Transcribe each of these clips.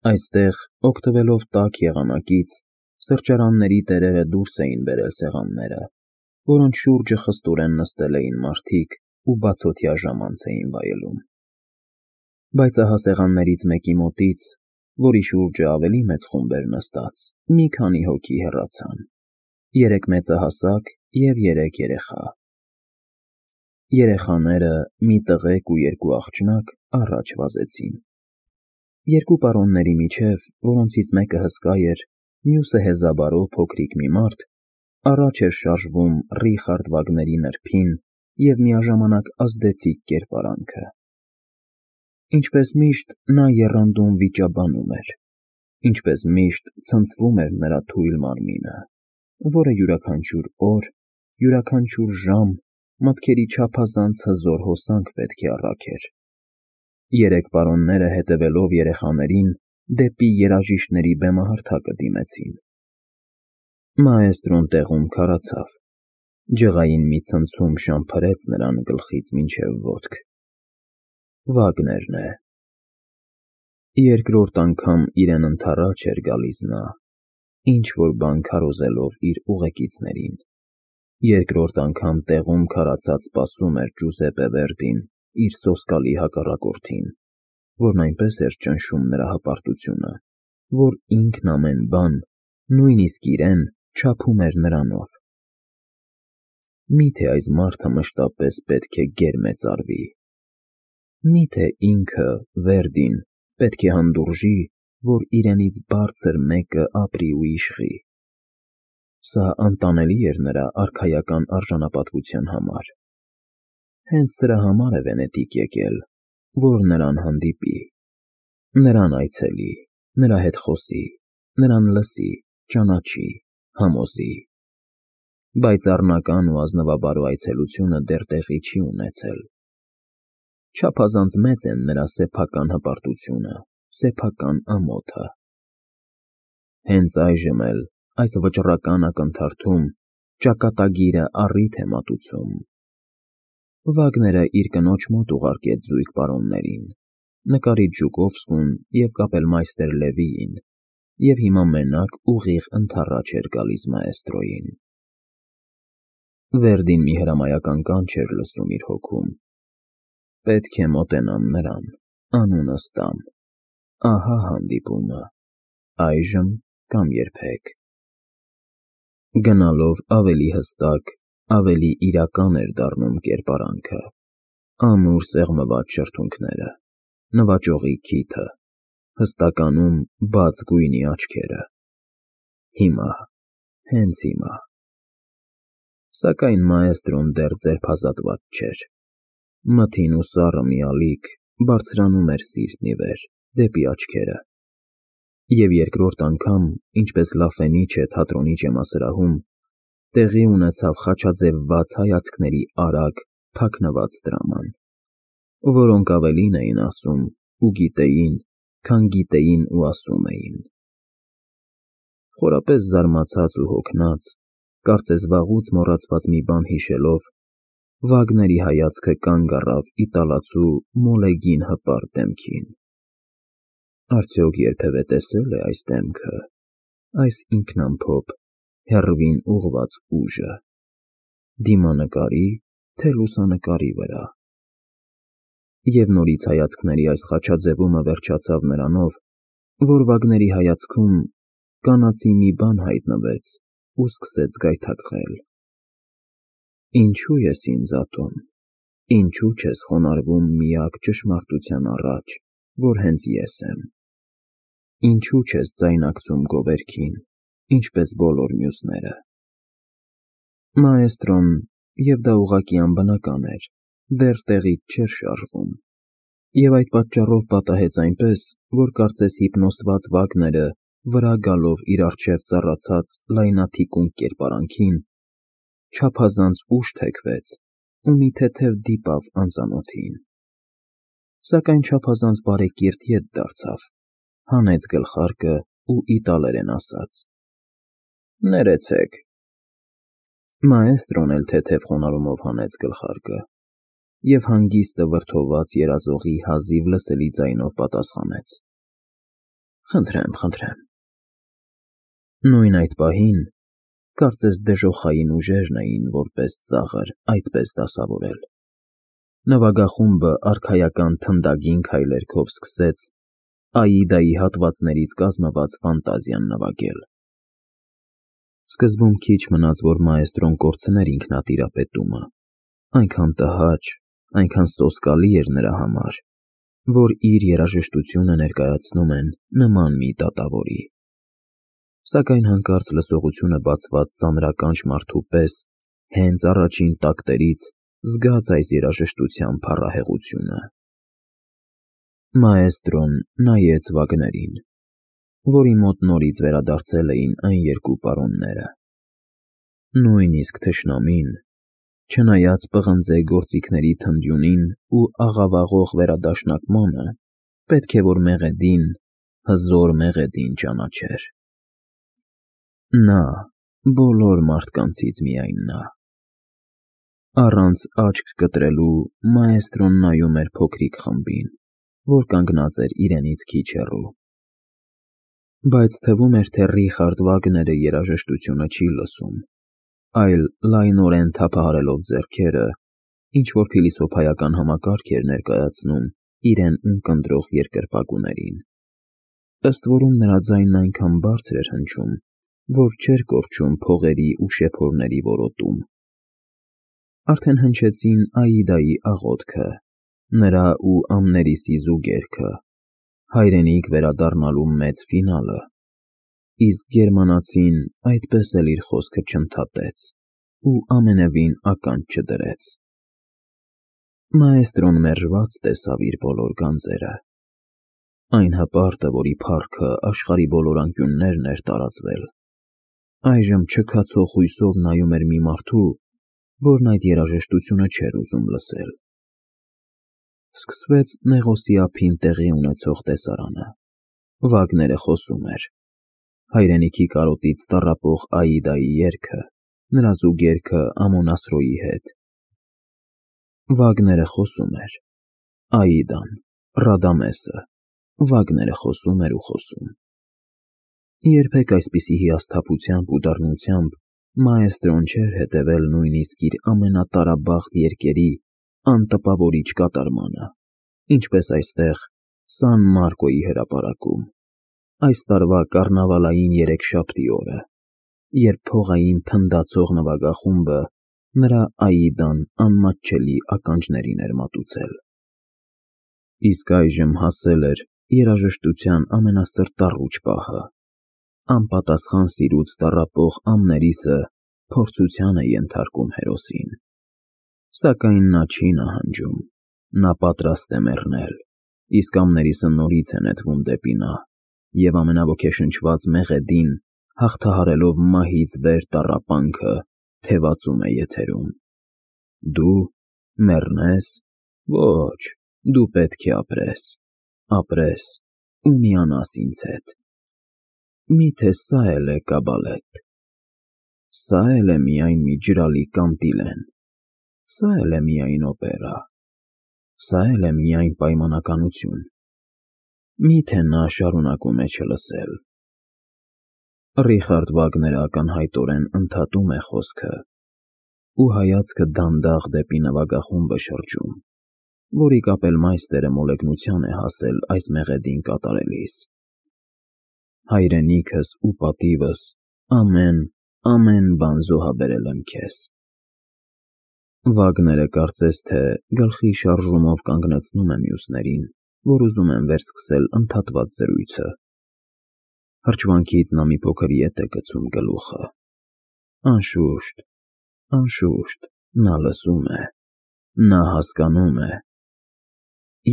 Այստեղ, օգտվելով տաք եղանակից, սրճարանների տերերը դուրս էին բերել սեղանները, որոնց շուրջը խստորեն նստել էին մարդիկ ու բացօթյա ժամանց էին վայելում։ Բայց ահա սեղաններից մեկի մոտից, որի շուրջը ավելի մեծ խումբ էր նստած, մի քանի հոգի հեռացան. 3 մեծահասակ և 3 երեխա։ Երեխաները, մի տղեկ ու 2 աղջնակ, առաջ վազեցին։ 2 պարոնների միջև, որոնցից մեկը հսկա էր, մյուսը հեզաբարով փոքրիկ մի մարդ, առաջ էր շարժվում Ռիխարդ Վագների նրբին և միաժամանակ ազդեցիկ կերպարանքը։ Ինչպես միշտ, նա եռանդուն վիճաբանում էր, ինչպես միշտ ցնցվում էր նրա թույլ մարմինը, որը յուրաքանչյուր օր, յուրաքանչյուր ժամ մտքերի չափազանց հզոր հոսանք պետք է առաքեր։ 3 պարոնները, հետևելով երեխաներին, դեպի երաժիշտների բեմահարթակը դիմեցին։ Մաեստրոն տեղում քարացավ, ջղային մի ցնցում շամփրեց նրան գլխից մինչև ոտք։ Վագներն է։ Երկրորդ անգամ իրեն ընդառաջ էր գալիս նա, ինչ-որ բան քարոզելով իր ուղեկիցներին։ Երկրորդ անգամ տեղում քարացած սպասում էր Ջուզեպպե Վերդին իր սոսկալի հակառակորդին, որն այնպես էր ճնշում նրա հպարտությունը, որ ինքն ամեն բան, նույնիսկ իրեն, չափում էր նրանով։ Մի՞թե այս մարդը մշտապես պետք է գերմեծարվի։ Մի՞թե ինքը, Վերդին, պետք է հանդուրժի, որ իրենից բարձր մեկը ապրի ու իշխի։ Սա անտանելի էր նրա արքայական արժանապատվության համար։ Հենց սրա համար է Վենետիկ եկել, որ նրան հանդիպի, նրան այցելի, նրա հետ խոսի, նրան լսի, ճանաչի, համոզի։ Բայց առնական ու ազնվաբարո այցելությունը դեռ տեղի չի ունեցել։ Չափազանց մեծ են նրա սեփական հպարտությունը, սեփական ամոթը։ Հենց այժմ էլ, այս վճռական ակնթարթում, ճակատագիրը առիթ է մատուցում։ Վագները իր կնոջ մոտ ուղարկեց զույգ պարոններին, նկարիչ Ժուկովսկուն և կապելմայստեր Լևիին, և հիմա մենակ ուղիղ ընդառաջ էր գալիս մաեստրոյին։ Վերդին մի հրամայական կանչ էր լսում իր հոգում. պետք է մոտենամ նրան, անունս տամ, ահա հանդիպումը, այժմ կամ երբեք։ Գնալով ավելի հստակ, ավելի իրական էր դառնում կերպարանքը, ամուր սեղմված շրթունքները, նվաճողի քիթը, հստականում բաց գույնի աչքերը։ Հիմա, հենց հիմա։ Սակայն մաեստրոն դեռ ձերբազատված չէր։ Մթին ու սառը մի ալիք բարձրանում էր սիրտն ի վեր, դեպի աչքերը։ Եվ երկրորդ անգամ, ինչպես Լաֆենիչե թատրոնի ջեմասրահում, տեղի ունեցավ խաչաձևված հայացքների արագ, թաքնված դրաման, որոնք ավելին էին ասում ու գիտեին, քան գիտեին ու ասում էին։ Խորապես զարմացած ու հոգնած, կարծես վաղուց մոռացված մի բան հիշելով, Վագների հայացքը կանգ առավ իտալացու մոլեգին հպարտ դեմքին։ Արդյոք երբևէ տեսել է այս դեմքը, այս ինքնամփոփ, հեռվին ուղղված ուժը, դիմանկարի, թե լուսանկարի վրա։ Եվ նորից հայացքների այս խաչաձևումը վերջացավ նրանով, որ Վագների հայացքում կանացի մի բան հայտնվեց ու սկսեց գայթակղել։ Ինչո՞ւ ես ինձ ատում, ինչո՞ւ չես խոնարհվում միակ ճշմարտության առաջ, որ հենց ես եմ։ Ինչո՞ւ չես ձայնակցում գովերքին, ինչպես բոլոր մյուսները։ Մաեստրոն, և դա ուղղակի անբնական էր, դեռ տեղից չէր շարժվում, և այդ պատճառով պատահեց այնպես, որ կարծես հիպնոսված Վագները, վրա գալով իր առջև ծառացած լայնաթիկունք կերպարանքին, չափազանց ուշ թեքվեց ու մի թեթև դիպավ անծանոթին։ Սակայն չափազանց բարեկիրթ ետ դարձավ, հանեց գլխարկը ու իտալերեն ասաց. Ներեցեք։ Մաեստրոն էլ թեթև խոնարհումով հանեց գլխարկը և հանգիստը վրդոված երազողի հազիվ լսելի ձայնով պատասխանեց. Խնդրեմ։ Նույն այդ պահին, կարծես դժոխային ուժերն էին, որպես ծաղր, այդպես դասավորել։ Նվագախումբը արքայական թնդագին քայլերքով սկսեց Աիդայի հատվածներից կազմված ֆանտազիան նվագել։ Սկզբում քիչ մնաց, որ մաեստրոն կորցներ ինքնատիրապետումը, այնքան տհաճ, այնքան սոսկալի էր նրա համար, որ իր երաժշտությունը ներկայացնում են նման մի դատավորի։ Սակայն հանկարծ լսողությունը բացված ծանրականջ մարդու պես հենց առաջին տակտերից զգաց այս երաժշտության փառահեղությունը։ Մաեստրոն նայեց Վագներին, որի մոտ նորից վերադարձել էին այն երկու պարոնները։ Նույնիսկ թշնամին, չնայած պղնձե գործիքների թնդյունին ու աղավաղող վերադաշնակմանը, պետք է որ Մեղեդին, հզոր Մեղեդին ճանաչեր։ Նա, բոլոր մարդկանցից միայն նա։ Առանց աչք կտրելու մաեստրոն նայում էր փոքրիկ խմբին, որ կանգնած էր իրենից քիչ հեռու։ Բայց թվում էր, թե Ռիխարդ Վագները երաժշտությունը չի լսում, այլ լայնորեն թափահարելով ձեռքերը, ինչ-որ փիլիսոփայական համակարգ էր ներկայացնում իրեն ունկնդրող երկրպագուներին։ Ըստ որում նրա ձայնն այնքան բարձր էր հնչում, որ չէր կորչում փողերի ու շեփորների որոտում։ Արդեն հնչեցին Աիդայի աղոթքը, նրա ու Ամներիսի զուգերքը, հայրենիք վերադառնալու մեծ ֆինալը, իսկ գերմանացին այդպես էլ իր խոսքը չընդհատեց ու ամենևին ականջ չդրեց։ Մաեստրոն մերժված տեսավ իր բոլոր գանձերը, այն հպարտը, որի փառքը աշխարհի բոլոր անկյուններն էր տարածվել, այժմ չքացող հույսով նայում էր մի մարդու, որն այդ երաժշտությունը չէր ուզում լսել։ Սկսվեց Նեղոսի ափին տեղի ունեցող տեսարանը։ Վագները խոսում էր։ Հայրենիքի կարոտից տառապող Աիդայի երգը, նրա զուգերքը Ամոնասրոյի հետ։ Վագները խոսում էր։ Աիդան, Ռադամեսը, Վագները խոսում էր ու խոսում։ Երբեք այսպիսի հիասթափությամբ ու դառնությամբ մաեստրոն չէր հետևել նույնիսկ իր ամենատարաբաղտ երգերի անտպավորիչ կատարմանը, ինչպես այստեղ Սան Մարկոյի հրապարակում, այս տարվա կառնավալային երեքշաբթի օրը, երբ փողային թնդացող նվագախումբը նրա Աիդան անմատչելի ականջներին էր մատուցել։ Իսկ այժմ հասել էր երաժշտության ամենասրտառուչ պահը։ Անպատասխան սիրուց տառապող Ամներիսը փորձության է ենթարկում հերոսին։ Սակայն նա չի նահանջում, նա պատրաստ է մեռնել, իսկ Ամներիսը նորից է նետվում դեպի նա, և ամենաոգեշնչված Մեղեդին, հաղթահարելով մահից վեր տառապանքը, թևածում է եթերում. Դու մեռնես, ոչ, դու պետք է ապրես ու միանաս ինձ հետ։ Միթե սա էլ է կաբալետ, սա էլ է միայն մի ջրալի կանտիլեն, սա էլ է միայն օպերա, սա էլ է միայն պայմանականություն։ Միթե նա շարունակում է չլսել։ Ռիխարդ Վագները ակնհայտորեն ընդհատում է խոսքը ու հայացքը դանդաղ դեպի նվագախումբը շրջում, որի կապելմայստերը մոլեգնության է հասել այս մեղեդին կատարելիս։ Հայրենիքս ու պատիվս, ամեն բան զոհաբերել եմ քեզ։ Վագները կարծես թե գլխի շարժումով կանգնեցնում է մյուսներին, որ ուզում են վերսկսել ընդհատված զրույցը։ Հրճվանքից նա մի փոքր ետ է գցում գլուխը։ Անշուշտ, նա լսում է, նա հասկանում է։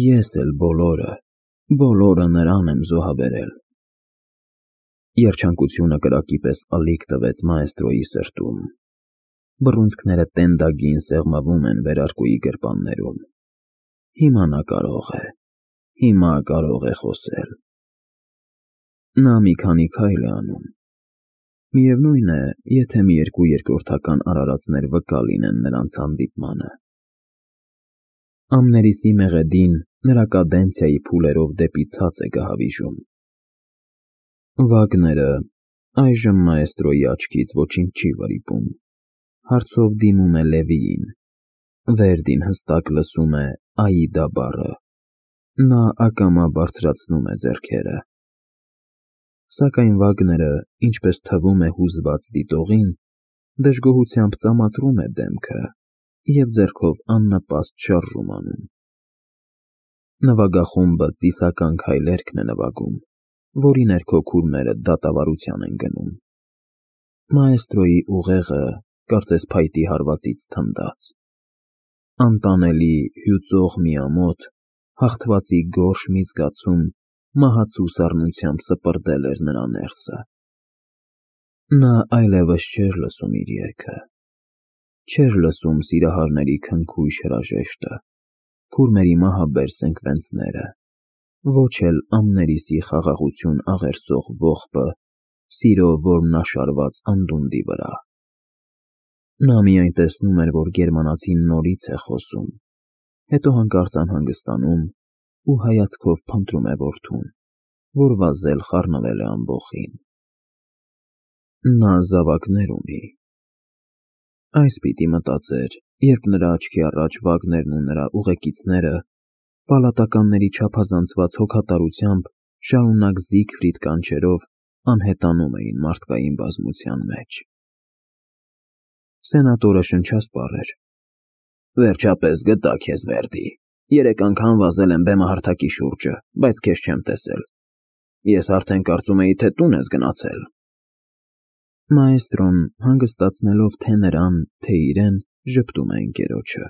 Ես էլ բոլորը նրան եմ զոհաբերել։ Երջանկությունը կրակի պես ալիք տվեց մաեստրոյի սրտում։ Բռունցքները տենդագին սեղմվում են վերարկուի գրպաններում։ Հիմա նա կարող է խոսել։ Նա մի քանի քայլ է անում։ Միևնույն է, եթե մի երկու երկրորդական արարածներ վկա լինեն նրանց հանդիպմանը։ Ամներիսի Մեղեդին նրա կադենցիայի փուլերով դեպի ցած է գահավիժում։ Վագները այժմ մաեստրոյի աչքից ոչինչ չի վրիպում, հարցով դիմում է Լևիին, Վերդին հստակ լսում է Աիդա բառը, նա ակամա բարձրացնում է ձեռքերը, սակայն Վագները, ինչպես թվում է հուզված դիտողին, դժգոհությամբ ծամացրում է դեմքը և ձեռքով աննպաստ շարժում անում, նվագախումբը ծիսական քայլերքն է նվագում, որի ներքո քուրմերը դատավարության են գնում, մաեստրոյի ուղեղը կարծես փայտի հարվածից թնդաց, անտանելի հյուծող մի ամոթ, հաղթվածի գորշ մի զգացում մահացու սառնությամբ սպրդել էր նրա ներսը, նա այլևս չէր լսում իր երգը, չէր լսում սիրահարների քնքույշ հրաժեշտը, քուրմերի մահաբեր սենկվենցները, ոչ էլ ամներիսի խաղաղություն աղերսող ողբը, սիրո որմնաշարված անդունդի վրա, նա միայն տեսնում էր, որ գերմանացին նորից է խոսում, հետո հանկարծ անհանգստանում ու հայացքով փնտրում է որդուն, որ վազել խառնվել է ամբոխին, նա զավակներ ունի, այս պիտի մտածեր, երբ նրա աչքի առաջ Վագներն ու նրա ուղեկիցները պալատականների չափազանցված հոգատարությամբ շարունակ Զիգֆրիդ կանչերով անհետանում էին մարդկային բազմության մեջ, սենատորը շնչասպառ էր, վերջապես գտա քեզ Վերդի, 3 անգամ վազել եմ բեմահարթակի շուրջը, բայց քեզ չեմ տեսել, ես արդեն կարծում էի, թե տուն ես գնացել, մաեստրոն հանգստացնելով թե նրան, թե իրեն ժպտում է ընկերոջը,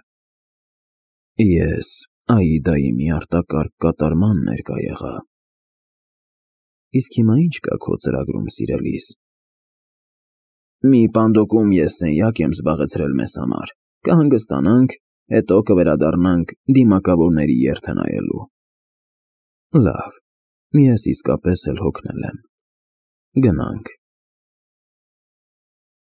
ես Աիդայի մի արտակարգ կատարման ներկա եղա, իսկ հիմա ինչ կա քո ծրագրում սիրելիս, մի պանդոկում ես սենյակ եմ զբաղեցրել մեզ համար, կհանգստանանք, հետո կվերադառնանք դիմակավորների երթը նայելու, լավ, ես իսկապես էլ հոգնել եմ, գնանք,